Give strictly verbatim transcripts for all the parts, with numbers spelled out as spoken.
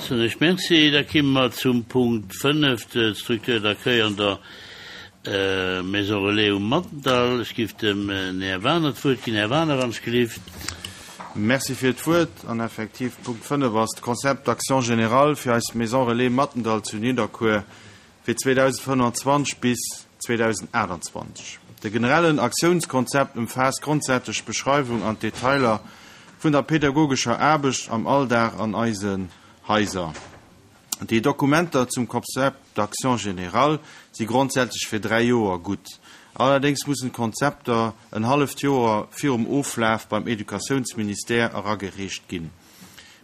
Soen ech Merci. Da kimme mer zum Punkt fënnef, d'Structure d'accueil an der Maison relais um Mattendall. Ech giff dem Här Wagener d'Wuert ginn. Här Wagener, wann ech gelift. Merci fir d'Wuert. An effektiv, Punkt fënnef ass d'Concept d'action générale fir eis Maison relais Mattendall zu Nidderkuer fir zweedausendfënnwanzwanzeg bis zweedausendachtundzwanzeg. De generellen Aktiounskonzept ëmfaasst grondsätzlech d'Beschreiwung an d'Detailer vun der pädagogescher Aarbecht am Alldag an eisen Haiser. Déi Dokumenter zum Concept d'action générale si grondsätzlech fir dräi Joer gutt. Allerdéngs mussen d'Konzepter en halleft Joer virum Oflaf beim Educatiounsministère eragereecht ginn.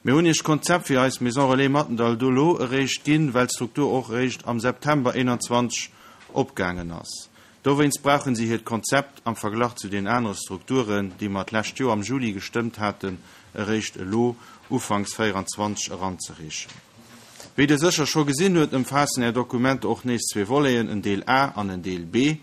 Mir hunn Iech d'Konzept fir eis Maison Relais Mattendall do elo eréischt ginn, well d'Struktur och eréischt am September eenanzwanzeg opgaangen ass. Dowéinst brauchen si hiert Konzept am Verglach zu den anere Strukturen, déi mer d'lescht Joer am Juli gestëmmt haten, eréischt elo ufanks véieranzwanzeg eranzereechen. Wéi Der sécher scho gesinn huet, ëmfaassen Är Dokumenter och nees zwee Voleten, en Deel A an en Deel B.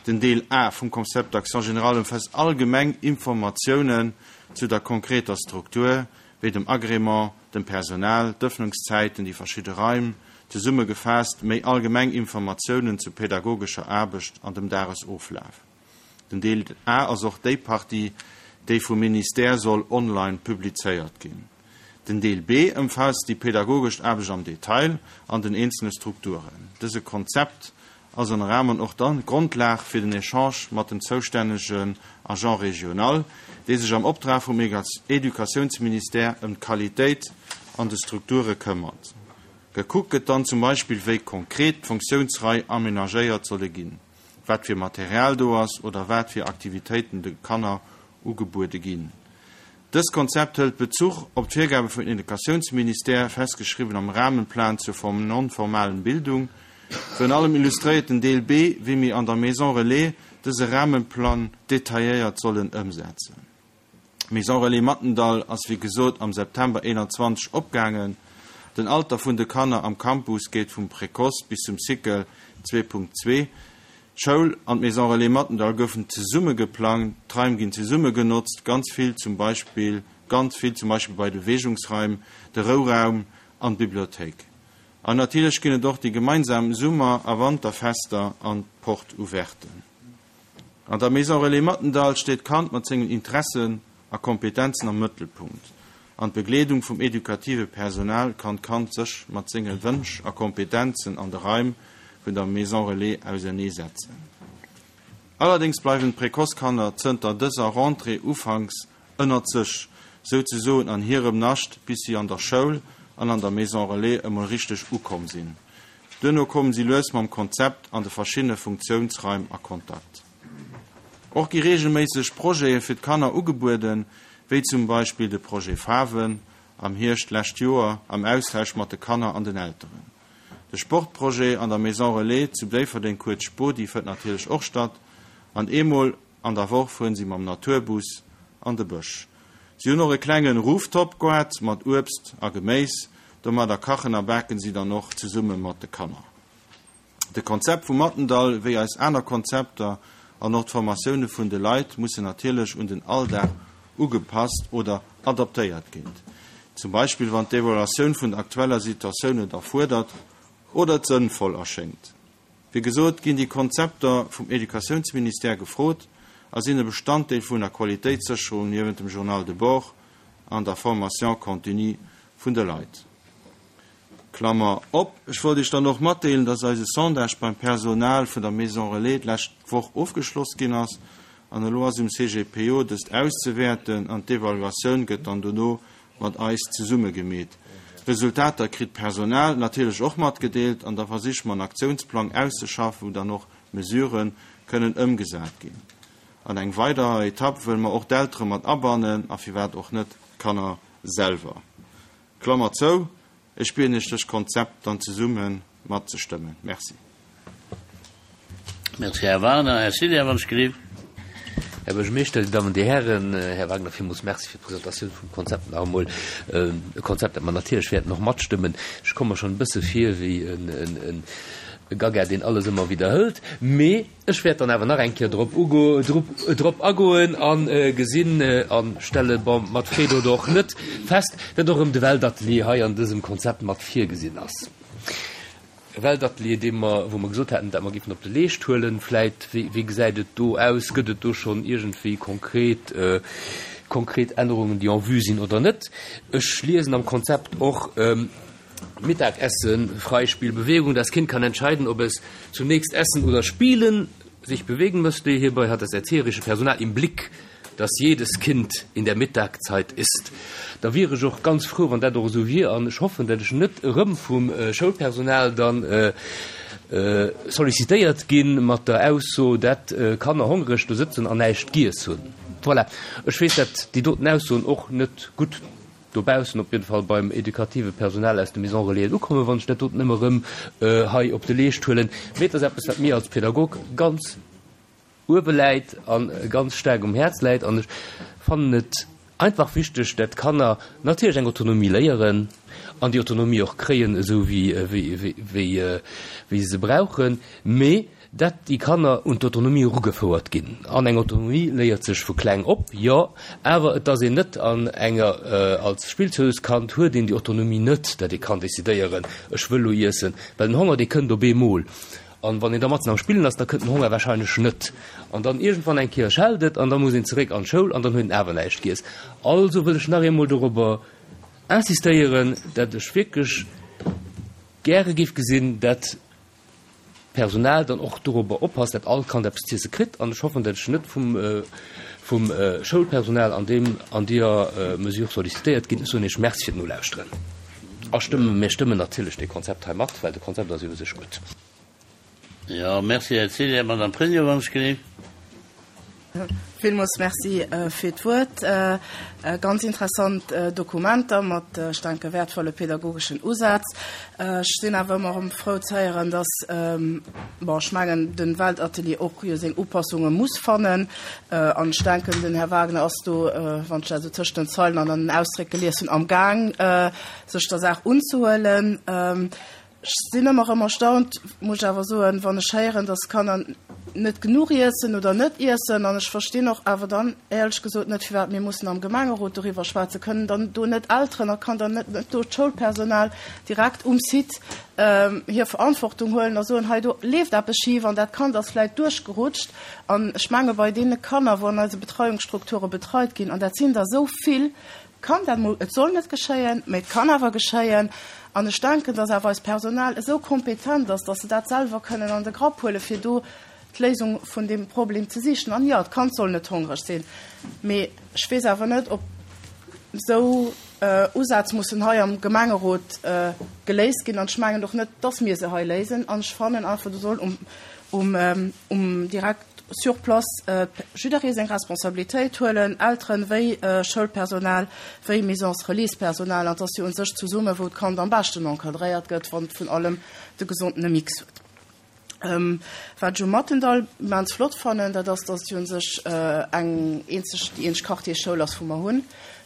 Den Deel A vum Concept d'action générale ëmfaasst allgemeng Informatiounen zu der konkreter Struktur, wéi dem Agrément, dem Personal, d'Ëffnungszäiten, déi verschidde Raim, zesummegefaasst méi allgemeng Informatiounen zur pädagogescher Aarbecht an dem Dagesoflaf. Den Deel A ass och déi Partie, déi vum Ministère soll online publizéiert ginn. Den Deel B ëmfaasst déi pädagogesch Aarbecht am Detail an den eenzele Strukturen. Dëse Konzept ass ënner anerem och dann d'Grondlag fir den Echange mat dem zoustännegen Agent régional, dee sech am Optrag vum Educatiounsministère ëm d'Qualitéit an de Strukture këmmert. Gekuckt gëtt dann zum Beispill, wéi konkret d'Funktiounsraim amenagéiert solle ginn, wat fir Material do ass oder wat fir Aktivitéiten de Kanner ugebuede ginn. Dëst Konzept hëlt Bezuch op d'Virgabe vum Educatiounsministère, festgeschriwwen am Rahmenplan zur non-formalen Bildung. Virun allem illustréiert den Deel B, wéi mir an der Maison Relais dëse Rahmenplan detailléiert sollen ëmsetzen. D'Maison Relais Mattendall ass wéi gesot am September eenanzwanzeg opgaangen. Den Alter vun de Kanner am Campus geet vum Précoce bis zum Cycle zwee Punkt zwee. D'Schoul an d'Maison Relais Mattendall goufen zesumme geplangt, d'Raim ginn zesumme genotzt, ganz vill zum Beispill, ganz vill zum Beispill bei de Beweegungsraim, de Rouraum an d'Bibliothéik. An natierlech ginn et och déi gemeinsam Summer a Wanterfester an d'Porte ouverten. An der Maison Relais Mattendall steet d'Kand mat sengen Interessen a Kompetenzen am Mëttelpunkt. An d'Begleedung vum edukative Personal kann d'Kand sech mat senge Wënsch a Kompetenzen an de Raim vun der Maison Relais auserneesetzen. Allerdéngs bleiwen d'Précoce-Kanner zënter dëser Rentrée ufanks ënnert sech, souzesoen an hirem Nascht, bis si an der Schoul an an der Maison Relais emol richteg ukomm sinn. Duerno kommen si lues mam Konzept an de verschiddene Funktiounsraim a Kontakt. Och gi reegelméisseg Projete fir d'Kanner ugebueden, wéi zum Beispill de Projet Faarwen am Hierscht d'lescht Joer am Austausch mat de Kanner an den Elteren. De Sportprojet an der Maison Relais zu Déifferdeng, kuerz Spodi, fënnt natierlech och statt an eemol an der Woch fueren si mam Naturbus an de Bësch. Si hunn och e klenge Rooftop-Goart mat Uebst a Geméis. Domadder kachen a baken si dann och zesumme mat de Kanner. De Konzept vum Mattendall, wéi eis aner Konzepter an och d'Formatioune vun de Leit mussen natierlech un den Alldag ugepasst oder adaptéiert ginn. Zum Beispill wann d'Evaluatioun vun der aktueller Situatioun et erfuerdert oder et sënnvoll erschéngt. Wéi gesot ginn déi Konzepter vum Educatiounsministère gefrot a sinn e Bestanddeel vun der Qualitéitssécherung niewent dem Journal de bord an der Formation continue vun de Leit. Klammer op, Ech wollt Iech dann och matdeelen, dass eise Sondage beim Personal vun der Maison Relais d'lescht Woch ofgeschloss ginn ass an elo ass um C G P O dëst auszewäerten an d'Evaluatioun gëtt dann dono mat eis zesumme gemeet. D'Resultater kritt d'Personal natierlech och matgedeelt an da versiche mer en Aktiounsplang auszeschaffen, wou dann och Mesurë kënnen ëmgesat ginn. An eng weider Etapp wëlle mer och d'Eltere mat abannen a firwat och net d'Kanner selwer. Klammer zou, Ech bieden Iech, dëst Konzept dann zesumme matzestëmmen. Merci. Merci, Här Wagner. Här Cillien, wann ech gelift. Här Buergermeeschter, Dir Dammen, Dir Hären, Här Wagner, villmools Merci fir d'Presentatioun vum Konzept nach emol. E Konzept, dat mer natierlech wäerten och matstëmmen. Ech komme mer schonn e bësse vir wéi Gaga, deen alles ëmmer widderhëlt, mee ech wäert dann awer nach eng Kéier drop ugo, drop, drop agoen an gesinn an stelle, bon, mat Freed oder och net, fest, datt och erëm de Weltatelier hei an dësem Konzept mat virgesinn ass. E Weltatelier, dee mer, wou mer gesot haten, dat mer géifen op de Leescht huelen. Vläit, wéi, wéi gesäit et do aus? Gëtt et do schonn iergendwéi konkret, konkret Ännerungen, déi en vue sinn oder net? Ech liesen am Konzept och, Mittagessen, Freispiel, Bewegung, das Kind kann entscheiden, ob es zunächst essen oder spielen, sich bewegen möchte. Hierbei hat das erzieherische Personal im Blick, dass jedes Kind in der Mittagzeit isst. Da wier ech och ganz frou, wann dat och esou wier, an ech hoffen, dat ech net erëm vum Schoulpersonal dann sollicitéiert ginn mat der Ausso, dat Kanner hongreg do sëtzen an näischt giess hunn. Voilà. Ech weess, dat déi doten Aussoen och net gutt dobaussen, op jidde Fall beim edukative Personal aus de Maisons Relaisen ukommen, wann ech dat doten ëmmer erëm hei op de Leescht huelen. Mee et ass eppes, wat mir als Pädagog ganz uewe läit a ganz staark um Häerz läit. An ech fannen et einfach wichteg, dat d'Kanner natierlech eng Autonomie léieren an déi Autonomie och kréien, esou wéi wéi se se brauchen, mee dat déi Kanner un d'Autonomie erugefouert ginn. An eng Autonomie léiert sech vu kleng op, jo, awer et ass een net an enger, als Spillzeuskand huet een déi Autonomie net, dat ee kann decidéieren, ech wëll elo iessen, well den Honger, dee kënnt op eemol. An wann een da matzen am Spillen ass, da kënnt den Honger wahrscheinlech net. An dann iergendwann eng Kéier schellt et an da muss een zeréck an d'Schoul an dann huet een awer näischt giess. Also wëll ech nach eemol dorobber insistéieren, dat ech wierklech gäre géif gesinn, dat d'Personal dann och dorobber oppasst, dat all Kand eppes z'iesse kritt. An ech hoffen, dat ech net vum, vum Schoulpersonal an deem, an deeër Mesure sollicitéiert ginn. Ech soen Iech Merci fir d'Nolauschteren a stëmmen, mir stëmmen natierlech dee Konzept hei mat, well de Konzept ass jo u sech gutt. Jo, merci, Här Cillien. Madame Pregno, wann ech genee. Villmools Merci fir d'Wuert. Ganz interessant Dokumenter mat, ech denken, wäertvolle pädagogeschen Usätz. Ech sinn awer ëmmer erëm frou ze héieren, dass, bon, ech mengen, de Weltatelier och jo seng Upassunge muss fannen. An ech denken, den Här Wagner ass do, wann ech dat esou tëscht den Zeilen an an den Ausdréck gelies hunn, amgaang, sech der Saach unzehuelen. Ech sinn ëmmer erëm erstaunt, muss ech awer soen, wann ech héieren, dass Kanner net genuch iessen oder net iessen. An ech verstinn och awer dann éierlech gesot net, firwat mir mussen am Gemengerot doriwwer schwätzen. Kënnen dann do net Elteren a kann dann net do d'Schoulpersonal direkt um Site hir Verantwortung huelen a soen, hei do leeft eppes schif an dat Kand ass vläicht duerchgerutscht. An ech menge bei deene Kanner, wou an eise Betreiungsstrukture betreit ginn, an dat sinn der esou vill, kann dat mol, et soll net geschéien, mä et kann awer geschéien. An ech denken, dass awer eist Personal esou kompetent ass, dass se dat selwer kënnen an de Grapp huelen, fir do d'Léisung vun deem Problem ze sichen. An jo, d'Kand soll net hongreg sinn, mee ech weess awer net, ob esou Usätz mussen hei am Gemengerot geléist ginn. An ech mengen och net, dass mir se hei léisen. An ech fannen einfach, do soll um, um, um direkt sur place jidderee seng Responsabilitéit huelen, Elteren wéi Schoulpersonal, wéi Maisons relais-Personal. An et ass jo un sech zesumme wou d'Kand am beschten encadréiert gëtt, wann et vun allem de gesondene Mix huet. Wat ech um Mathendahl immens flott fannen, dat ass, dass et jo un sech eng eenzeg, déi eenzeg Quartiersschoul ass, wou mer hunn.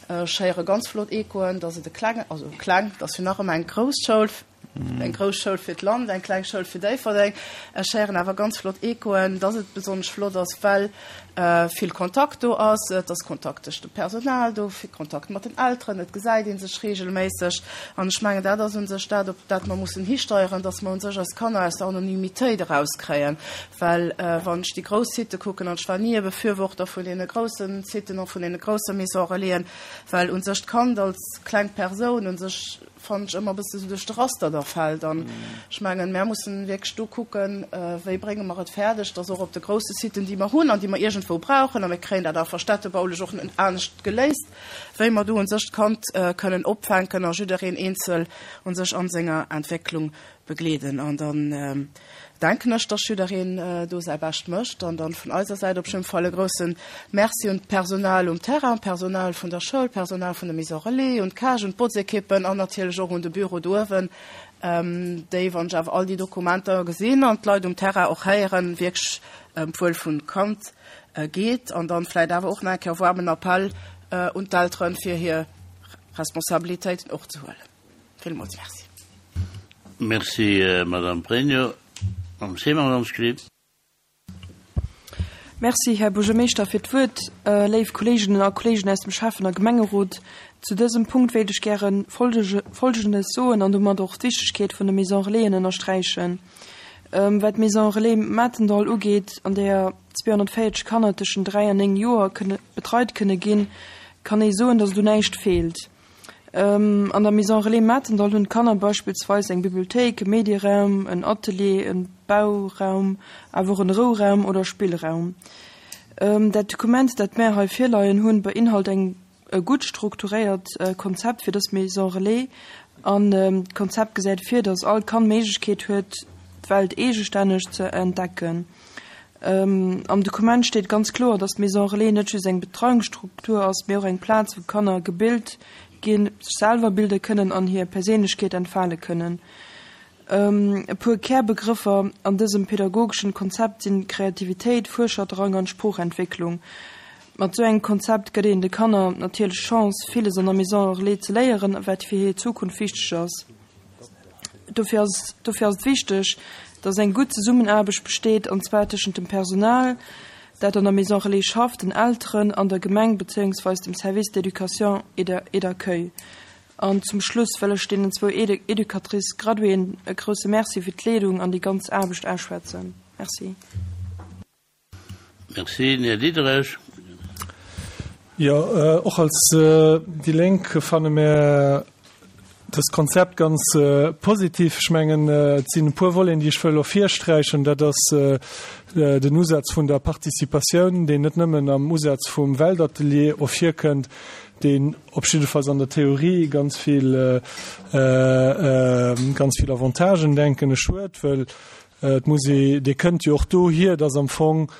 Ech héiere ganz flott Echoen, dass et e klenge, also kleng, et ass jo nach ëmmer eng grouss Schoul, eng grouss Schoul fir d'Land, eng kleng Schoul fir Déifferdeng. Ech héieren awer ganz flott Echoen, dass et besonnesch flott ass, well vill Kontakt do ass. Et ass Kontakt tëscht dem Personal do, vill Kontakt mat den Elteren, et gesäit ee sech reegelméisseg. An ech mengen, dat ass u sech dat, op dat mer mussen histeieren, dass mer u sech eis Kanner aus der Anonymitéit erauskréien. Well wann ech déi grouss Sitë kucken, an ech war ni e Befürworter vun deene grousse Siten a vun deene grousse Maisons relaisen, well u sech d'Kand als kleng Persoun u sech, fannen ech, ëmmer e bësse sou duerch de Raster da fält. An ech mengen, mär mussen wierklech do kucken, wéi brénge mer et fäerdeg, dass och op de grousse Siten, déi mer hunn an déi mer iergendwou brauchen, a mir kréien dat awer städtebaulech och net anescht geléist, wéi mer do u sech d'Kand kënnen opfänken a jiddereen eenzel u sech a senger Entwécklung begleeden. An dann denken ech, dass jiddereen do säi Bescht mécht. An dann vun eiser Säit op jidde Fall e grousse Merci un d'Personal um Terrain, d'Personal vun der Schoul, d'Personal vun der Maison Relais, un d'Cage, un d'Botzekippen an natierlech och un de Büro do uewen, déi, wann ech awer all déi Dokumenter gesinn an d'Leit um Terrain och héieren, wierklech ëm d'Wuel vun Kand geet. An dann vläicht awer och nach eng Kéier e waarmen Appell un d'Elteren, fir hir Responsabilitéiten och ze huelen. Villmools Merci. Merci, Madame Pregno. Madame Seemann, wann. Merci, Här Buergermeeschter, fir d'Wuert. Léif Kolleeginnen a Kolleegen aus dem Schäffen a Gemengerot, zu dësem Punkt wéilt ech gäre Folgendes soen an domat och d'Wichtegkeet vun de Maison Relaisen ënnersträichen. Wat d'Maison Relais Matendall ugeet, an där zweehonnertvéierzeg Kanner tëschent dräi an néng Joer kënne betreit kënne ginn, kann ee soen, datt do näischt feelt. An der Maison Relais Matendall hunn d'Kanner beispillsweis eng Bibliothéik, e Medieraum, en Atelier, e Bauraum, awer och en Rouraum oder Spillraum. Dat Dokument, dat mär hei virleien hunn, beinhalt eng e gutt strukturéiert Konzept fir dës Maison Relais an d'Konzept gesäit vir, datt all Kand d'Méiglechkeet huet, d'Welt eegestänneg ze entdecken. Am Dokument steet ganz kloer, datt d'Maison Relais net just eng Betreiungsstruktur ass, mee och eng Plaz, wou Kanner gebilt ginn, sech selwer bilde kënnen an hir Perséinlechkeet entfale kënnen. E puer Kärbegrëffer an dësem pedagogeschen Konzept sinn Kreativitéit, Fuerscherdrang an Sproochentwécklung. Mat sou engem Konzept gëtt een de Kanner natierlech d'Chance, villes an der Maison Relais ze léieren, wat fir hir Zukunft wichteg ass. Dofir ass dofir ass et wichteg, dass eng gutt Zesummenaarbecht besteet, an zwar tëschent dem Personal, dat an der Maison Relais schafft, den Elteren an der Gemeng bezéiungsweis dem Service d'éducation et d'accueil. An zum Schluss wëll ech deenen zwou Educatrices graduéen e grousse Merci fir d'Leedung an déi ganz Aarbecht ausschwätzen. Merci. Merci. Den Här Diderich. Jo, och als déi Lénk fanne mär dëst Konzept ganz positiv. Ech mengen, et sinn e puer Voleten, déi ech wëll ervirsträichen. Dat ass den Usaz vun der Participatioun, deen net nëmmen am Usaz vum Weltatelier ervirkënnt, deen op jiddefalls an der Theorie ganz vill, ganz vill Avantagen, denken ech, huet, wëll et muss ee, dee kënnt jo och dohier, dass am Fong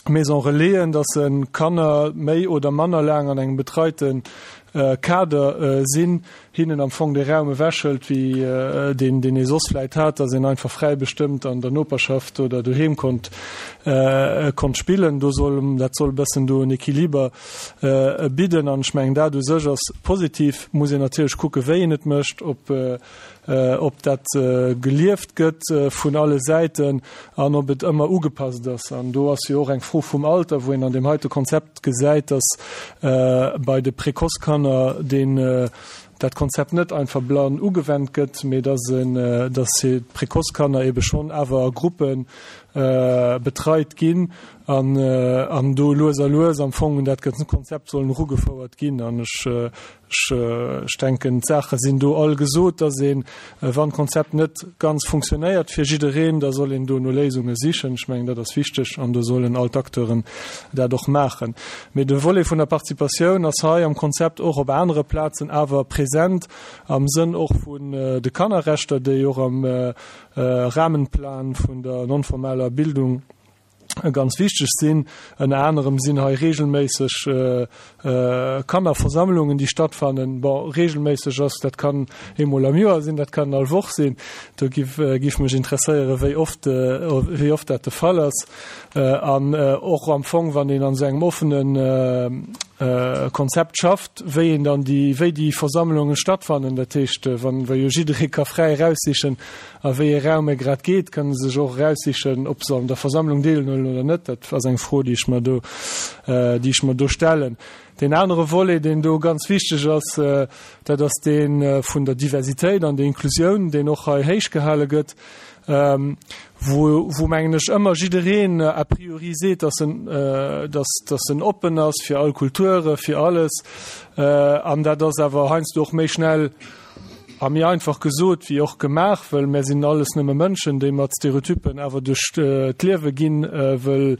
Maison Relaisen, dass se Kanner méi oder manner laang an engem betreite Kader sinn, hinnen am Fong dee Raum ewechhëlt, wéi deen, deen ee soss vläit hat, dass een einfach fräi bestëmmt an der Noperschaft oder doheem konnt, konnt spillen. Do soll, dat soll e bëssen do en Equiliber bidden. An ech mengen, dat u sech ass positiv. Muss een natierlech kucken, wéi een et mécht, ob, ob dat gelieft gëtt vun alle Säiten an ob et ëmmer ugepasst ass. An do ass jo och eng Fro vum Alter, wou een an deem heite Konzept gesäit, dass bei de Précoce-Kanner deen dat Konzept net einfach blann ugewennt gëtt, mee dass en, dass d'Précoce-Kanner ebe schonn awer a Gruppe betreit ginn an an do lues a lues am Fong un dat ganzt Konzept sollen erugefouert ginn. An ech, ech, ech denken, d'Saache sinn do all gesot, dass een, wann d'Konzept net ganz funktionéiert fir jiddereen, da soll een do no Léisunge sichen. Ech mengen, dat ass wichteg an do sollen all d'Acteuren dat och maachen. Mee de Volet vun der Participatioun ass hei am Konzept och op anere Plazen awer present, am Sënn och vun de Kannerrechter, déi och am Rahmenplan vun der non-formaler Bildung ganz wichteg sinn. Ënner anerem sinn hei regelméisseg Kannerversammlungen, déi stattfannen. Bon, regelméisseg ass, dat kann eemol am Joer sinn, dat kann all Woch sinn. Do giff giff mech interesséieren, wéi oft wéi oft dat de Fall ass. An och am Fong, wann een an esou engem offene Konzept schafft, wéi een dann déi wéi déi Versammlungen stattfannen. Dat heescht, wann well jo jidderee ka fräi eraussichen, a wéi ee Raum e grad geet, kënne se sech och eraussichen, ob se an der Versammlung deelhuelen oder net. Dat ass eng Fro, déi ech mer do, déi ech mer do stellen. Deen anere Volet, deen do ganz wichteg ass, dat ass dee vun der Diversitéit an der Inklusioun, deen och hei héichgehale gëtt, wou, wou mengen ech, ëmmer jiddereen a priori seet, dass en, dass, dass en oppen ass fir all Kulture, fir alles. An dat ass awer heiansdo och méi schnell a méi einfach gesot wéi och gemaach, wëll mär sinn alles nëmme Mënschen, déi mat Stereotypen awer duerch d'Liewe ginn, wëll,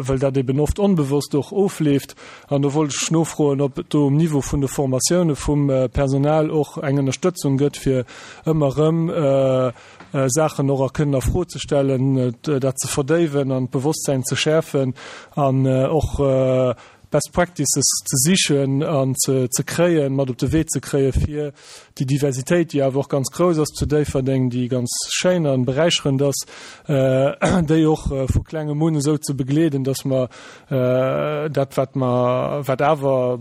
wëll dat eben oft onbewosst och ofleeft. An do wollt ech nofroen, ob et do um Niveau vun de Formatioune vum Personal och eng Ënnerstëtzung gëtt, fir ëmmer erëm Saachen och a kënnen a Fro ze stellen, dat ze verdéiwen an d'Bewosstsäin ze schäerfen an och Best Practices ze sichen an ze kréien, mat op de Wee ze kréien, fir déi Diversitéit, déi awer och ganz grouss ass zu Déifferdeng, déi ganz schéin a beräicherend ass, déi och vu klengem un esou ze begleeden, dass mer dat, wat mer, wat awer,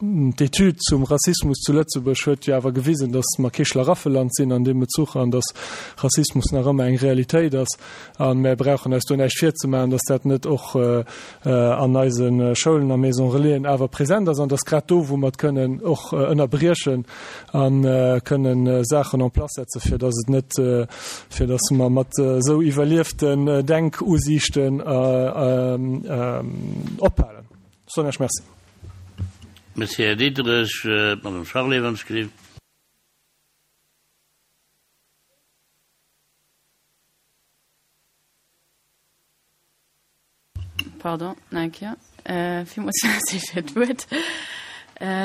D'Etüd zum Rassismus zu Lëtzebuerg huet jo awer gewisen, datt mer kee Schlaraffeland sinn an deem Bezuch an datt Rassismus nach ëmmer eng Realitéit ass. A mär brauchen eis do näischt virzemaachen, datt dat net och an eise Schoulen a Maisons Relaisen awer present ass an datt grad do, wou mer et kënnen och ënnerbriechen a kënnen Saachen en place setzen, fir datt et net, fir datt mer mat esou iwwerlieften Denkusiichten ophalen. Soen ech Merci. Merci, Här Diderich. D'Madame Charlé, wann ech gelift. Pardon, nach eng Kéier. Villmools Merci fir d'Wuert.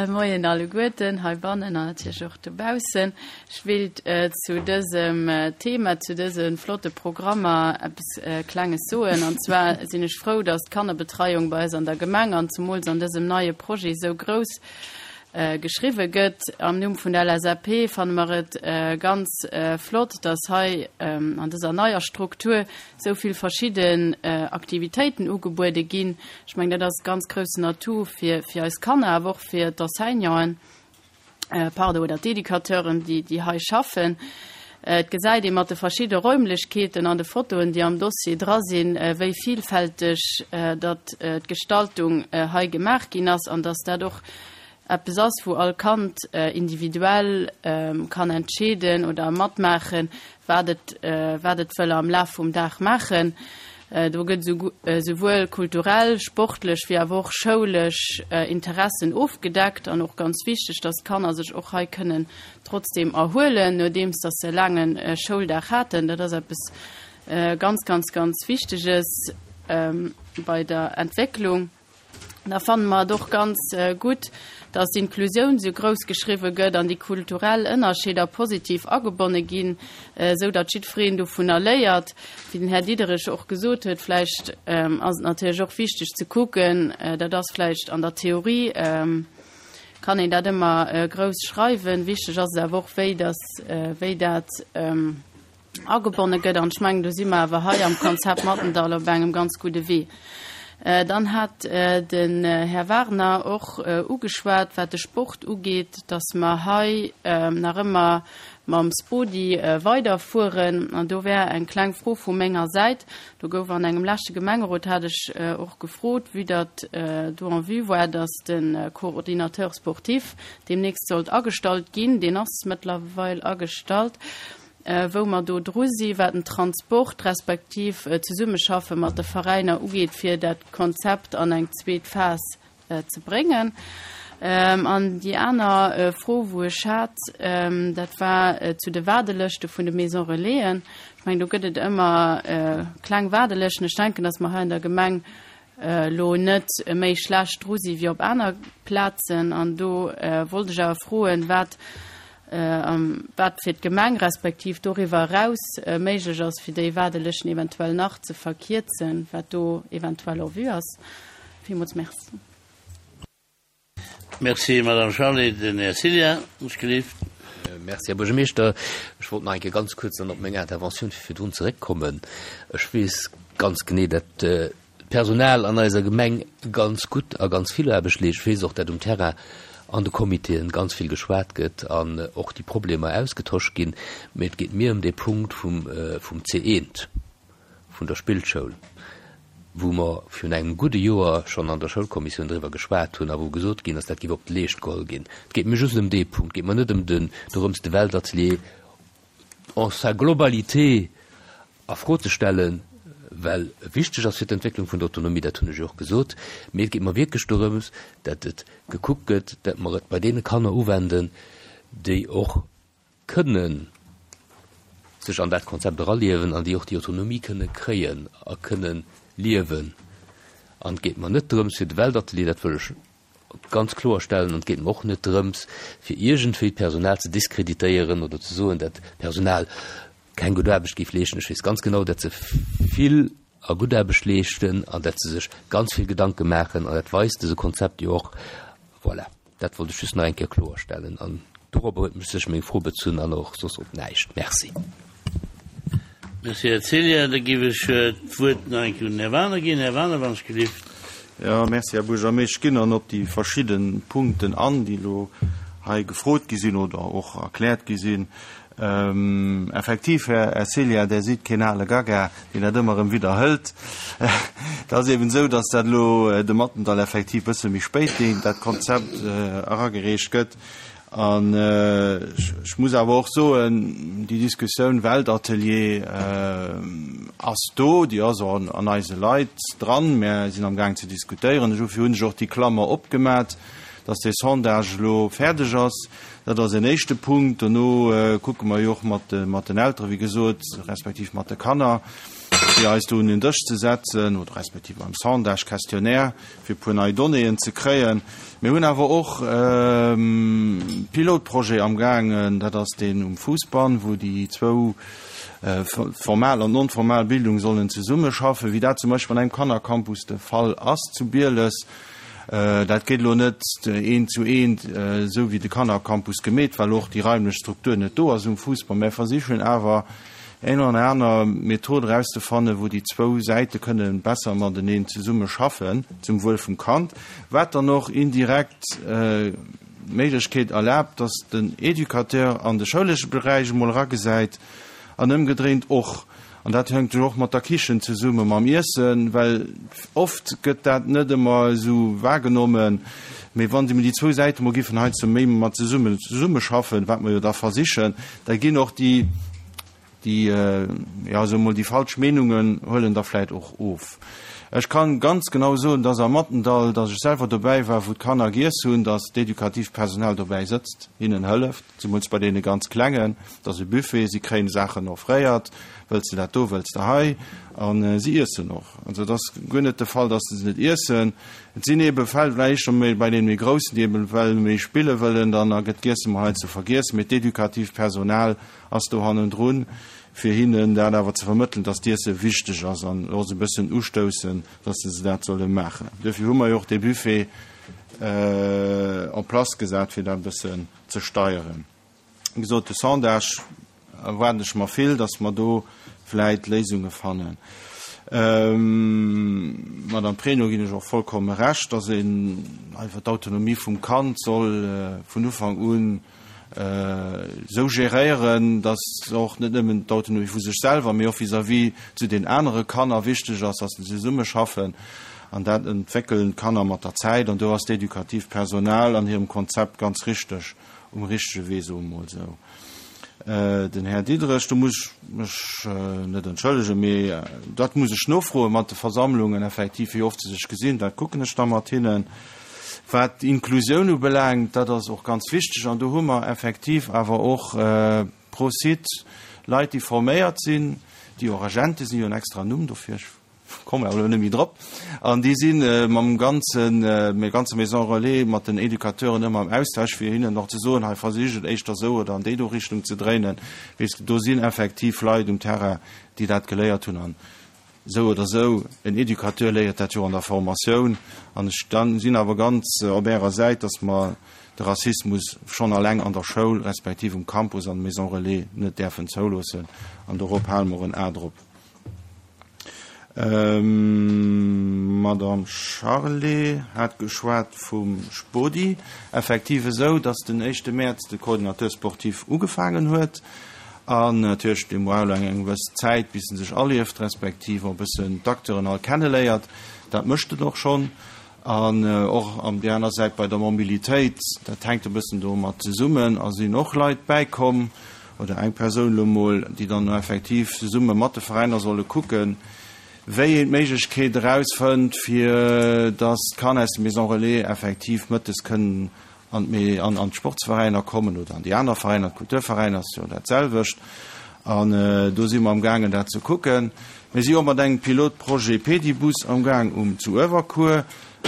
Moien alleguerten heibannen an natierlech och dobaussen. Ech wéilt zu dësem Thema, zu dëse flotte Programmer eppes Klenges soen. An zwar sinn ech frou, dass d'Kannerbetreiung bei eis an der Gemeng an zemools an dësem neie Projet esou grouss geschriwwe gëtt. Am Numm vun der L S A P fanne mer et ganz flott, dass hei an dëser neier Struktur esou vill verschidden Aktivitéiten ugebuede ginn. Ech mengen, dat ass e ganz groussen Atout fir fir eis Kanner, awer och fir d'Enseignanten, pardon, oder d'Educateuren, déi déi hei schaffen. Et gesäit ee mat de verschidde Räumlechkeeten an de Fotoen, déi am Dossier dra sinn, wéi vielfälteg datt d'Gestaltung hei gemaach ginn ass an dass dat och eppes ass, wou all Kand individuell kann entscheeden oder matmaachen, wat et wat et wëll am Laf vum Dag maachen. Do gëtt esouwuel kulturell, sportlech wéi awer och schoulesch Interessen ofgedeckt an och ganz wichteg, dass d'Kanner sech och hei kënnen trotzdeem erhuelen, nodeems dass se e laange Schouldag haten. Dat ass eppes ganz, ganz, ganz Wichteges bei der Entwécklung. Da fanne mer et och ganz gutt, dass d'Inklusioun esou grouss geschriwwe gëtt an déi kulturell Ënnerscheeder positiv agebonne ginn, esou datt jiddwereen dovunner léiert. Wéi den Här Diderich och gesot huet, vläicht ass et natierlech och wichteg ze kucken, dat ass vläicht an der Theorie, kann een dat ëmmer grouss schreiwen, wichteg ass et awer och, wéi dass, wéi dat agebonne gëtt. An ech mengen, do si mer awer hei am Konzept Mathendahl op engem ganz gudde Wee. Dann hat den Här Wagner och ugeschwat, wat de Sport ugeet, dass mer hei nach ëmmer mam Spodi weiderfueren. An do wär eng kleng Fro vu menger Säit. Do gouf an engem leschte Gemengerot, hat ech och gefrot, vue datt do en vue war, dass de Coordinateur sportif deemnächst sollt agestallt ginn. Deen ass mëttlerweil agestallt. Wou mer do dru si wat den Transport respektiv d'Zesummeschaffe mat de Veräiner ugeet, fir dat Konzept an eng zweet Phas ze bréngen. An déi aner Fro, wou ech hat, dat war zu de Waardelëschte vun de Maison Relaisen. Ech mengen, do gëtt et ëmmer kleng Waardelëschten. Ech denken, datt mer hei an der Gemeng elo net méi schlecht dru si wéi op aner Plazen. An do wollt ech awer froen, wat wat fir d'Gemeng respektiv doriwwer eraus méiglech ass, fir déi Waardelëschten eventuell nach ze verkierzen, wat do eventuell en vue ass. Villmools merci. Merci, Madame Charlé. Den Här Cillien, ons gelift. Merci, Här Buergermeeschter. Ech wollt nach eng Kéier ganz kuerz dann op meng Interventioun vu virdrun zeréckkommen. Ech weess ganz genee, dat d'Personal an eiser Gemeng ganz gutt a ganz vill Aarbecht leescht. Ech weess och, dat um Terrain an de Comitéen ganz vill geschwat gëtt an och déi Problemer ausgetosch ginn. Mee et geet mir ëm dee Punkt vum, vum C eent, vun der Spillschoul, wou mer virun engem gudde Joer schonn an der Schoulkommissioun driwwer geschwat hunn a wou gesot ginn ass, dat géif op d'Leescht geholl ginn. Et geet mir just ëm dee Punkt, et geet mer net ëm den, dorëms de Weltatelier en sa globalité a Fro ze stellen, well e wichteg ass fir d'Entwécklung vun der Autonomie, dat hunn ech jo och gesot, mee et geet mer wierklech dorëms, dat et gekuckt gëtt, dat mer et bei deene Kanner uwenden, déi och kënnen sech an dat Konzept eraliewen an déi och déi Autonomie kënne kréien a kënnen liewen. An et geet mer net drëms fir de Weltatelier, dat wëll ech ganz kloer stellen, an et geet mer och net drëms fir iergendwéi d'Personal ze diskreditéieren oder ze soen, dat d'Personal keng gutt Aarbecht géif leeschten. Ech weess ganz genau, dat se vill a gutt Aarbecht leeschten an dat se sech ganz vill Gedanke maachen an dat weist dëse Konzept jo och. Voilà, dat wollt ech just nach eng Kéier kloerstellen an dorobber huet mech sech meng Fro bezunn an och soss op näischt. Merci. Merci, Här Cillien. Da géif ech d'Wuert nach eng Kéier un den Här Wagener ginn. Här Wagener, wann ech gelift. Jo, merci, Här Buergermeeschter. Ech ginn dann op déi verschidde Punkten an, déi elo hei gefrot gi sinn oder och erkläert gi sinn. Effektiv, Här Ersilia, Der sidd keen ale Gaga, deen dat ëmmer erëm widderhëlt. Et ass eben esou, dass dat elo de Mathendahl effektiv e bësse méi spéit, deen, dat Konzept eragereecht gëtt. An ech muss awer och soen, déi Diskussioun Weltatelier ass do, déi ass och an eise Leit dran. Mär sinn amgaang ze diskutéieren. Dofir hunn ech och déi Klammer opgemat, dass dee Sondage elo fäerdeg ass. Dat ass en éischte Punkt. Dono kucke mer jo och mat den Eltere, wéi gesot, respektiv mat de Kanner, fir eis do un en Dësch ze setzen oder respektiv beim Sondage, Questionnaire, fir e puer nei Donnéeën ze kréien. Mir hunn awer och e Pilotprojet amgaangen, dat ass deen um Fousbann, wou déi zwou formal an non-formal Bildung sollen zesummeschaffen, wéi dat zum Beispill an engem Kannercampus de Fall ass zu Bieles. Dat geet elo net eent zu eent esou wéi de Kannercampus gemeet, well och déi raimlech Struktur net do ass um Fousbann. Mä versichen awer eng oder aner Method erauszefannen, wou déi zwou Säite kënne besser mateneen zesummeschaffen zum Wuel vum Kand, wat dann och indirekt d'Méiglechkeet erlaabt, dass den Educateur an de schoulesche Beräich emol eragesäit an ëmgedréint och. An dat hänkt jo och mat der Kichen zesumme mam Iessen, well oft gëtt dat net ëmmer esou wahrgenommen. Mee wann déi zwou Säite mol giffen heiansdo méi mat zesummen zesummeschaffen, wat mer jo da versichen, da ginn och déi, déi, jo, soe mol, déi falsch Meenungen huelen da vläit och of. Ech kann ganz genau soen, dass am Mattendall, dass ech selwer dobäi war, wou d'Kanner giess hunn, dass d'edukativt Personal dobäi sëtzt, hinnen hëlleft, zemools bei deene ganz Klengen. Et ass e Buffet, si kréien Saachen offréiert, wëlls de dat do, wëlls de hei, a si iessen och. Also et ass guer net de Fall, dass se net iessen. Et sinn eebe Fäll, vläicht scho méi bei deene méi Groussen, déi eebe well méi spille wëllen, dann gëtt d'Iesse mol heiansdo vergiess, mee d'edukativt Personal ass do hannendrun, fir hinnen dat awer ze vermëttelen, dass d'Iesse wichteg ass an och se e bëssen ustoussen, dass se dat solle maachen. Duerfir hu mer jo och dee Buffet en place gesat, fir dat e bëssen ze steieren. Wéi gesot, de Sondage erwaarden ech mer vill, dass mer do vläit Léisunge fannen. Madame Pregno ginn ech och vollkomme Recht, dass een einfach d'Autonomie vum Kand soll vun Ufank un esou géréieren, dass och net nëmmen d'Autonomie vu sech selwer, mee och vis-à-vis zu den anere Kanner wichteg ass, dass se zesummeschaffen. An dat entwéckelen d'Kanner mat der Zäit. An do ass d'edukativt Personal an hirem Konzept ganz richteg um richtege Wee, soe mer mol esou. Den Här Diderich, do muss ech mech net entschëllegen, mee dat muss ech nofroe mat de Versammlungen effektiv, wéi oft se sech gesinn, dat kucken ech da mat hinnen. Wat d'Inklusioun ubelaangt, dat ass och ganz wichteg an do hu mer effektiv awer och pro Site Leit, déi forméiert sinn, déi och Agente sinn, jo en extra Numm dofir, ech kommen awer elo net méi drop, an déi si mam ganzen, mat der ganzer Maison Relais, mat den Educateuren ëmmer am Austausch, fir hinnen och ze soen, hei versicht et éischter esou oder an déi do Richtung ze dréinen. Weess, do sinn effektiv Leit um Terrain, déi dat geléiert hunn an esou oder esou, en Educateur léiert dat jo an der Formatioun. An ech sinn awer ganz op Ärer Säit, dass mer de Rassismus schonn alleng an der Schoul respektiv um Campus an Maison Relais net däerfen zouloossen. An dorop hale mer en A drop. D'Madame Charlé hat geschwat vum Spodi. Effektiv esou, dass den éischte Mäerz de Coordinateur sportif ugefaangen huet. An natierlech, dee brauch elo eng gewëss Zäit, bis en sech alieft, respektiv och e bëssen d'Acteuren all kenneléiert. Dat mécht en och schonn. An och an déi aner Säit bei der Mobilitéit, dat hänkt e bëssen domat zesummen, a sinn och Leit bäikomm, oder eng Persoun elo mol, déi dann effektiv zesumme mat de Veräiner solle kucken, wéi een d'Méiglechkeet erausfënnt, fir datt d'Kanner aus de Maisons Relais effektiv mëttes kënnen an an d'Sportsveräiner kommen oder an déi aner Veräiner, d'Kulturveräiner ass jo dat selwecht. An do si mer amgaangen, dat ze kucken. Mir si och mat engem Pilotprojet Pedibus amgaang um zu Uewerkuer.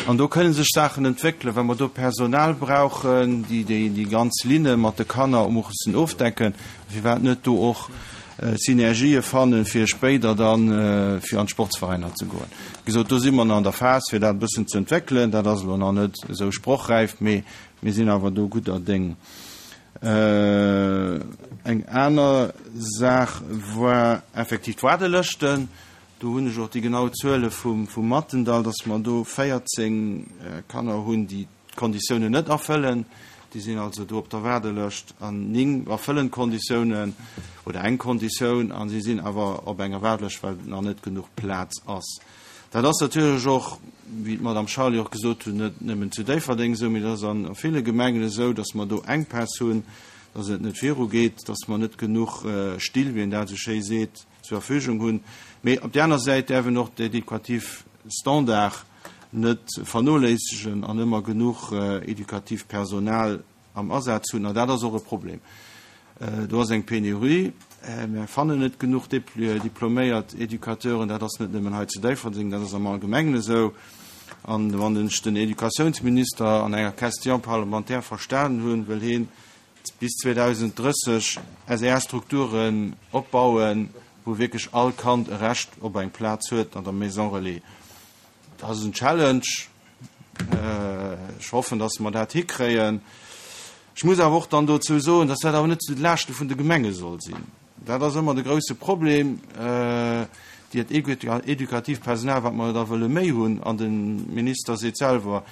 An do kënne sech Saachen entwéckelen, well mer do Personal brauchen, déi déi ganz Linne mat de Kanner mussen ofdecken. Firwat net do och Synergië fannen, fir spéider dann fir an d'Sportsveräiner ze goen. Wéi gesot, do si mer nach an der Phas, fir dat e bëssen ze entwéckelen. Dat ass elo nach net esou sprochräif, mee mir sinn awer do gudder Déng. Eng aner Saach war effektiv d'Waardelëschten. Do hunn ech och déi genau Zuele vum Mathendahl, dass mer do véierzéng Kanner hunn, déi d'Konditiounen net erfëllen. Déi sinn also do op der Waardelëscht an néng erfëllen d'Konditiounen oder eng Konditioun a si sinn awer op enger Waardelëscht, well nach net genuch Plaz ass. Dat ass natierlech och, wéi d'Madame Charlé och gesot huet, net nëmmen zu Déifferdeng esou, mee dat ass a ville Gemengen esou, dass mer do Enkpäss hunn, dass et net virugeet, dass mer net genuch Still, wéi een dat esou schéi seet, zur Verfügung hunn. Mee op där aner Säit däerf een och d'edukativ Standard net vernoléissegen an ëmmer genuch edukativ Personal am Asaz hunn. An dat ass och e Problem. Do ass eng Penurie. Mir fannen net genuch diploméiert Educateuren. Dat ass net nëmmen hei zu Déifferdeng, dat ass am Allgemengen esou. An wann ech den Educatiounsminister an enger Question parlementaire verstanen hunn, wëll hien bis zweedausenddrësseg S E R-Strukturen opbauen, wou wierklech all Kand e Recht op eng Plaz huet an der Maison relais. Dat ass en Challenge. Ech hoffen, dass mer dat hikréien. Ech muss awer och dann dozou soen, dass dat awer net zu de Laaschte vun de Gemenge soll sinn. Dat ass ëmmer de grouse Problem, dat edukativ Personal, wat mer da wëlle méi hunn, an de Minister seet selwer,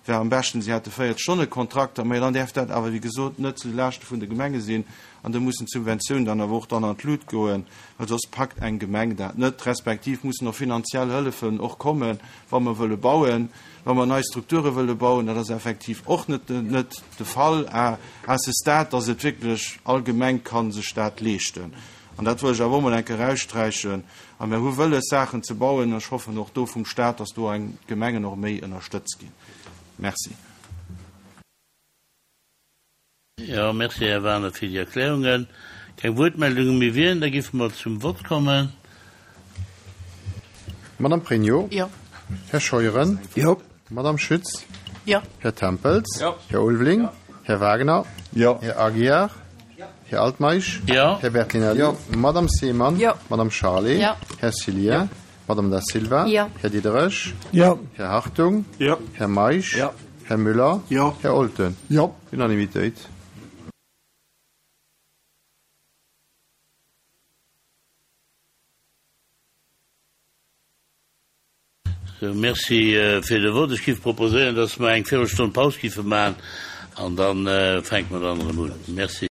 wär am beschten, si hätte véierzeg-Stonne-Kontrakter, mä dann däerf dat awer, wéi gesot, net zu de Laaschte vun de Gemenge sinn an do mussen d'Subventiounen dann awer och dann an d'Lut goen, well soss packt eng Gemeng dat net, respektiv mussen och finanziell Hëllefen och kommen, wa mer wëlle bauen, wa mer nei Strukture wëlle bauen. Dat ass effektiv och net net de Fall à à ce stade, dass et wierklech all Gemeng ka sech dat leeschten. An dat wëll ech awer och mol eng Kéier eraussträichen. A mir hu wëlles, Saachen ze bauen, an ech hoffen och do vum Stat, dass do eng d'Gemengen och méi ënnerstëtzt ginn. Merci. Jo, merci, Här Wagener, fir déi Erklärungen. Keng Wuertmeldunge méi wieren, da géife mer zum Vott kommen. Madame Pregno. Jo. Här Scheuren. Jo. Madame Schütz. Jo. Här Tempels. Jo. Här Ulveling. Jo. Här Wagner. Jo. Här Aguiar. Här Altmeisch. Jo. Här Bertinelli. Jo. Madame Seemann. Jo. Madame Charlé. Jo. Här Cillien. Jo. Madame Da Silva. Jo. Här Diderich. Jo. Här Hartung. Jo. Här Meisch. Jo. Här Müller. Jo. Här Olten. Jo. Unanimitéit. Sou, merci fir de Vott. Ech géif proposéieren, dass mer eng Véirelstonn Paus géife maachen an da fänke mer dann erëm un. Merci.